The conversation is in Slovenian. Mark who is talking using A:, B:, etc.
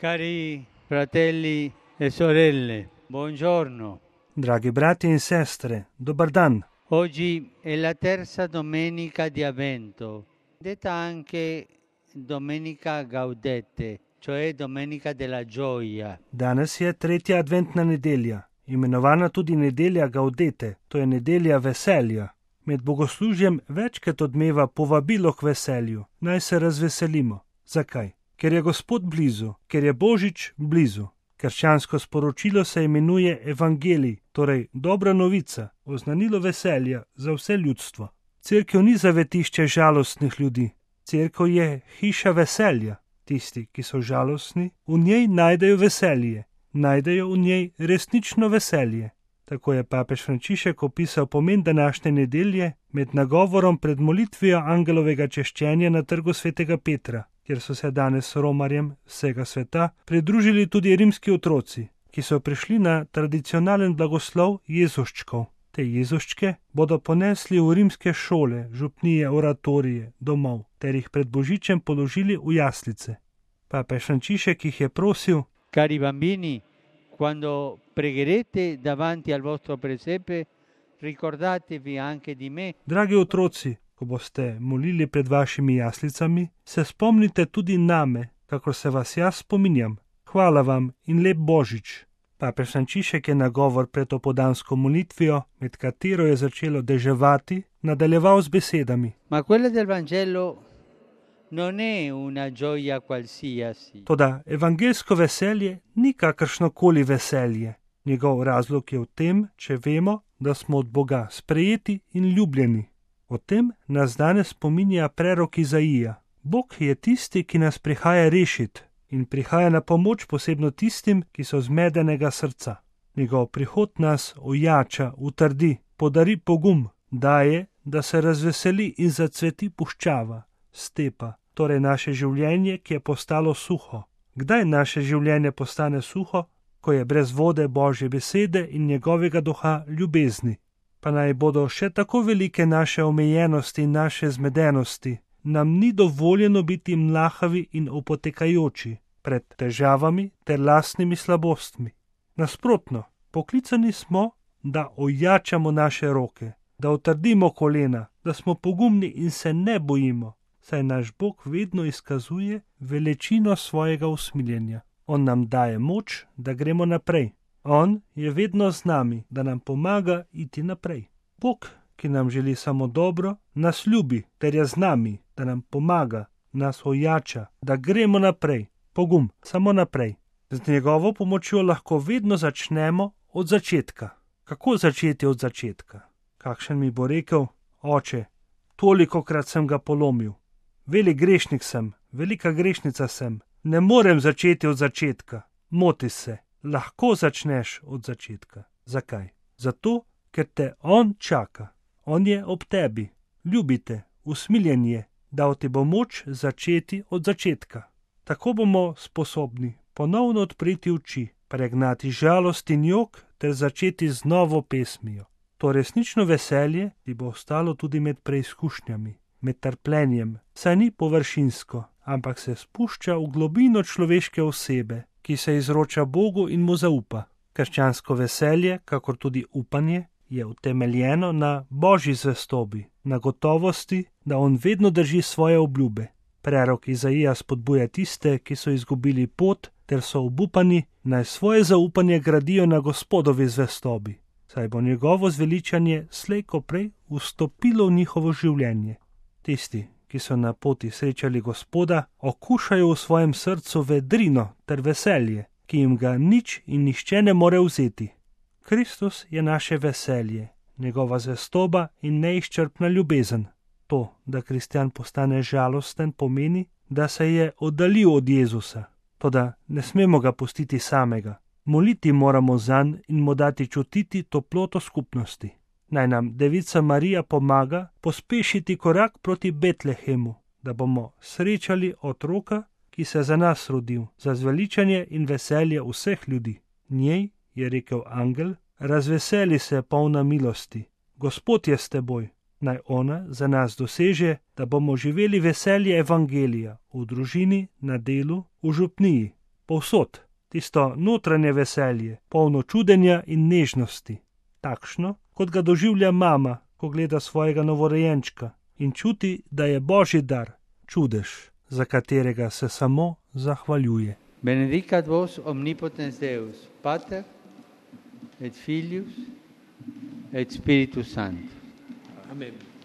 A: Cari fratelli e sorelle, buongiorno.
B: Dragi brati in sestre, dobar dan.
A: Oggi è la terza domenica di Avvento, detta anche Domenica Gaudete, cioè Domenica della Gioia.
B: Danes je tretja adventna nedelja, imenovana tudi nedelja Gaudete, to je nedelja veselja. Med bogoslužjem večkrat odmeva povabilo k veselju, naj se razveselimo. Zakaj? Ker je Gospod blizu, ker je Božič blizu. Krščansko sporočilo se imenuje Evangelij, torej dobra novica, oznanilo veselja za vse ljudstvo. Cerkev ni zavetišče žalostnih ljudi, cerkev je hiša veselja. Tisti, ki so žalostni, v njej najdejo veselje, najdejo v njej resnično veselje. Tako je papež Frančišek opisal pomen današnje nedelje med nagovorom pred molitvijo angelovega češčenja na trgu svetega Petra, kjer so se danes romarjem vsega sveta pridružili tudi rimski otroci, ki so prišli na tradicionalen blagoslov Jezuščkov. Te Jezuščke bodo ponesli v rimske šole, župnije, oratorije, domov, ter jih pred Božičem položili v jaslice. Papež Frančišek jih je prosil:
A: Cari bambini, quando pregherete davanti al vostro presepe, ricordatevi anche di me.
B: Dragi otroci, ko boste molili pred vašimi jaslicami, se spomnite tudi name, kakor se vas jaz spominjam. Hvala vam in lep Božič. Papež Frančišek je nagovor pred opoldansko molitvijo, med katero je začelo deževati, nadaljeval z besedami:
A: Ma quella del Vangelo non è una gioia qualsiasi.
B: Toda evangelsko veselje ni kakršnokoli veselje. Njegov razlog je v tem, če vemo, da smo od Boga sprejeti in ljubljeni. O tem nas danes spominja prerok Izaija. Bog je tisti, ki nas prihaja rešiti in prihaja na pomoč posebno tistim, ki so zmedenega srca. Njegov prihod nas ojača, utrdi, podari pogum, daje, da se razveseli in zacveti puščava, stepa, torej naše življenje, ki je postalo suho. Kdaj naše življenje postane suho? Ko je brez vode Božje besede in njegovega duha ljubezni. Pa naj bodo še tako velike naše omejenosti in naše zmedenosti, nam ni dovoljeno biti mlahavi in opotekajoči pred težavami ter lastnimi slabostmi. Nasprotno, poklicani smo, da ojačamo naše roke, da utrdimo kolena, da smo pogumni in se ne bojimo, saj naš Bog vedno izkazuje veličino svojega usmiljenja. On nam daje moč, da gremo naprej. On je vedno z nami, da nam pomaga iti naprej. Bog, ki nam želi samo dobro, nas ljubi ter je z nami, da nam pomaga, nas ojača, da gremo naprej. Pogum, samo naprej. Z njegovo pomočjo lahko vedno začnemo od začetka. Kako začeti od začetka? Kakšen mi bo rekel: Oče, tolikokrat sem ga polomil. Velik grešnik sem, velika grešnica sem. Ne morem začeti od začetka. Moti se. Lahko začneš od začetka. Zakaj? Zato, ker te on čaka. On je ob tebi. Ljubite, usmiljen je, dal ti bo moč začeti od začetka. Tako bomo sposobni ponovno odpreti oči, pregnati žalost in jok ter začeti z novo pesmijo. To resnično veselje ti bo ostalo tudi med preizkušnjami, med trpljenjem, saj ni površinsko, ampak se spušča v globino človeške osebe, ki se izroča Bogu in mu zaupa. Krščansko veselje, kakor tudi upanje, je utemeljeno na Božji zvestobi, na gotovosti, da on vedno drži svoje obljube. Prerok Izaija spodbuja tiste, ki so izgubili pot ter so obupani, naj svoje zaupanje gradijo na Gospodovi zvestobi, saj bo njegovo zveličanje slej ko prej vstopilo v njihovo življenje. Tisti, ki so na poti srečali Gospoda, okušajo v svojem srcu vedrino ter veselje, ki jim ga nič in nihče ne more vzeti. Kristus je naše veselje, njegova zvestoba in neizčrpna ljubezen. To, da kristjan postane žalosten, pomeni, da se je oddaljil od Jezusa. Toda ne smemo ga pustiti samega. Moliti moramo zanj in mu dati čutiti toploto skupnosti. Naj nam Devica Marija pomaga pospešiti korak proti Betlehemu, da bomo srečali otroka, ki se za nas rodil, za zveličanje in veselje vseh ljudi. Njej je rekel angel: razveseli se, polna milosti, Gospod je s teboj. Naj ona za nas doseže, da bomo živeli veselje evangelija v družini, na delu, v župniji. povsod, tisto notranje veselje, polno čudenja in nežnosti, takšno, kot ga doživlja mama, ko gleda svojega novorojenčka in čuti, da je božji dar, čudež, za katerega se samo zahvaljuje.
A: Benedicat vos omnipotens Deus, Pater et Filius et Spiritus Sanctus.
C: Amen.